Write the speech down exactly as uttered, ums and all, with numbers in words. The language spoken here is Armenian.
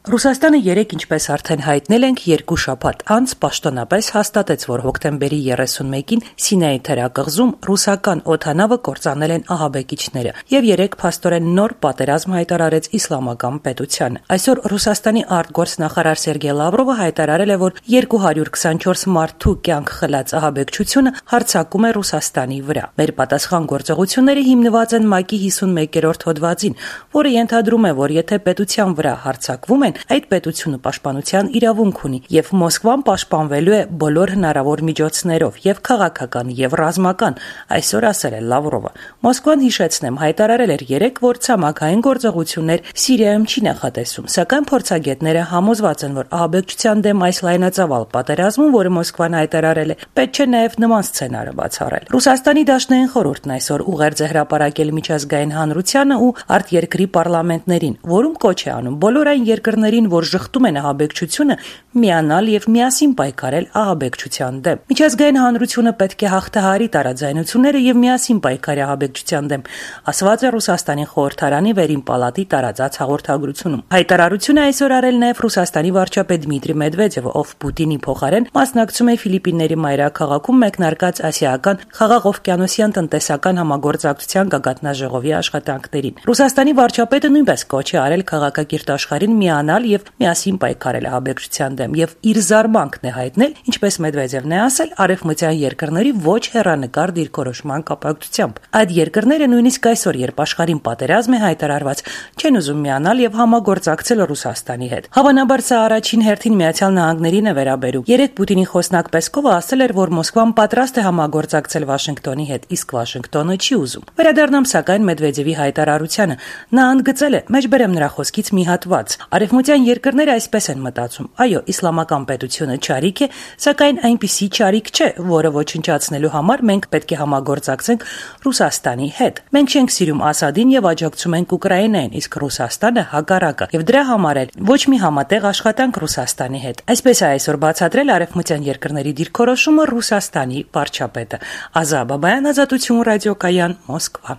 Ռուսաստանը երեկ, ինչպես արդեն հայտնել ենք, երկու շաբաթ անց պաշտոնապես հաստատեց, որ հոկտեմբերի երեսունմեկին Սինայի թերակղզում ռուսական օդանավը կործանել են ահաբեկիչները եւ երեկ փաստորեն նոր պատերազմ հայտարարեց իսլամական պետությանը։ Այսօր Ռուսաստանի արտգործնախարար Սերգեյ Լավրովը հայտարարել է, որ երկու հարյուր քսանչորս մարդու կյանք խլած ահաբեկչությունը հարձակում է Ռուսաստանի վրա։ Մեր պատասխան գործողությունները հիմնված են ՄԱԿ-ի հիսունմեկերորդ հոդվածին, որը ենթադրում է, որ եթե պետության վրա հարձակվում են, այդ պետությունը պաշտպանության իրավունք ունի եւ Մոսկվան պաշտպանվելու է բոլոր հնարավոր միջոցներով եւ քաղաքական եւ ռազմական, այսօր ասել է Լավրովը։ Մոսկվան, հիշեցնեմ, հայտարարել էր երեկ, որ ցամաքային գործողություններ Սիրիայում չի նախատեսում, սակայն փորձագետները համոզված են, որ ահաբեկչության դեմ այս լայնածավալ պատերազմում, որը Մոսկվան հայտարարել է, պետք չէ նաեւ նման սցենարը բացառել։ Ռուսաստանի դաշնային խորհուրդն այսօր ուղերձ է հրապարակել միջազգային հանրությանը ու արտերկրի պարլամենտներին, որում կոչ է անում բոլոր այն երկրներին, որ շղթում են ահաբեկչությունը, միանալ եւ միասին պայքարել ահաբեկչության դեմ։ Միջազգային հանրությունը պետք է հաղթահարի տարաձայնությունները եւ միասին պայքարի ահաբեկչության դեմ, ասված է Ռուսաստանի խորհրդարանի վերին պալատի տարածած հաղորդագրությունում։ Հայտարարությունը այսօր արել նաեւ Ռուսաստանի վարչապետ Դմիտրի Մեդվեդևը, ով Պուտինի փոխարեն մասնակցում է Ֆիլիպինների մայրաքաղաքում մեկնարկած ասիական խաղաղօվկիանոսյան տնտեսական համագործակցության գագաթնաժողովի աշխատանքներին։ Ռուսաստանի վարչապետը նույնպես կոչ է արել քաղաքակիրթ աշխարհին միանալ եւ միասին պայքարել ահաբեկչության դեմ եւ իր զարմանքն է հայտնել, ինչպես Մեդվեդևն է ասել, արևմտյան երկրների ոչ հեռանկար դիրքորոշման կապակցությամբ։ Այդ երկրները նույնիսկ այսօր, երբ աշխարհին պատերազմ է հայտարարված, չեն ուզում միանալ եւ համագործակցել Ռուսաստանի հետ։ Հավանաբար սա առաջին հերթին Միացյալ Նահանգներին է վերաբերում։ Երեկ Պուտինի խոսնակ Պեսկովը ասել էր, որ Մոսկվան պատրաստ է համագործակցել Վաշինգտոնի հետ, իսկ Վաշինգտոնը չի ուզում։ Վերադառնամ սակայն Մեդվեդևի հայտարարությանը։ Նա ընդգծել է, մեջբերեմ նրա խոսքից մի հատված. Արևմտյան երկրները այսպես են մտածում. այո, իսլամական պետությունը չարիք է, սակայն այնպիսի չարիք չէ, որը ոչնչացնելու համար մենք պետք է համագործակցենք Ռուսաստանի հետ։ Մենք չենք սիրում Ասադին եւ աջակցում ենք Ուկրաինային, իսկ Ռուսաստանը հակառակը, եւ դրա համար էլ ոչ մի համատեղ աշխատանք Ռուսաստանի հետ։ Այսպես է այսօր բացատրել արևմտյան երկրների դիրքորոշումը Ռուսաստանի վարչապետը։ Ազա Բաբայան, Ազատություն ռադիոկայան, Մոսկվա։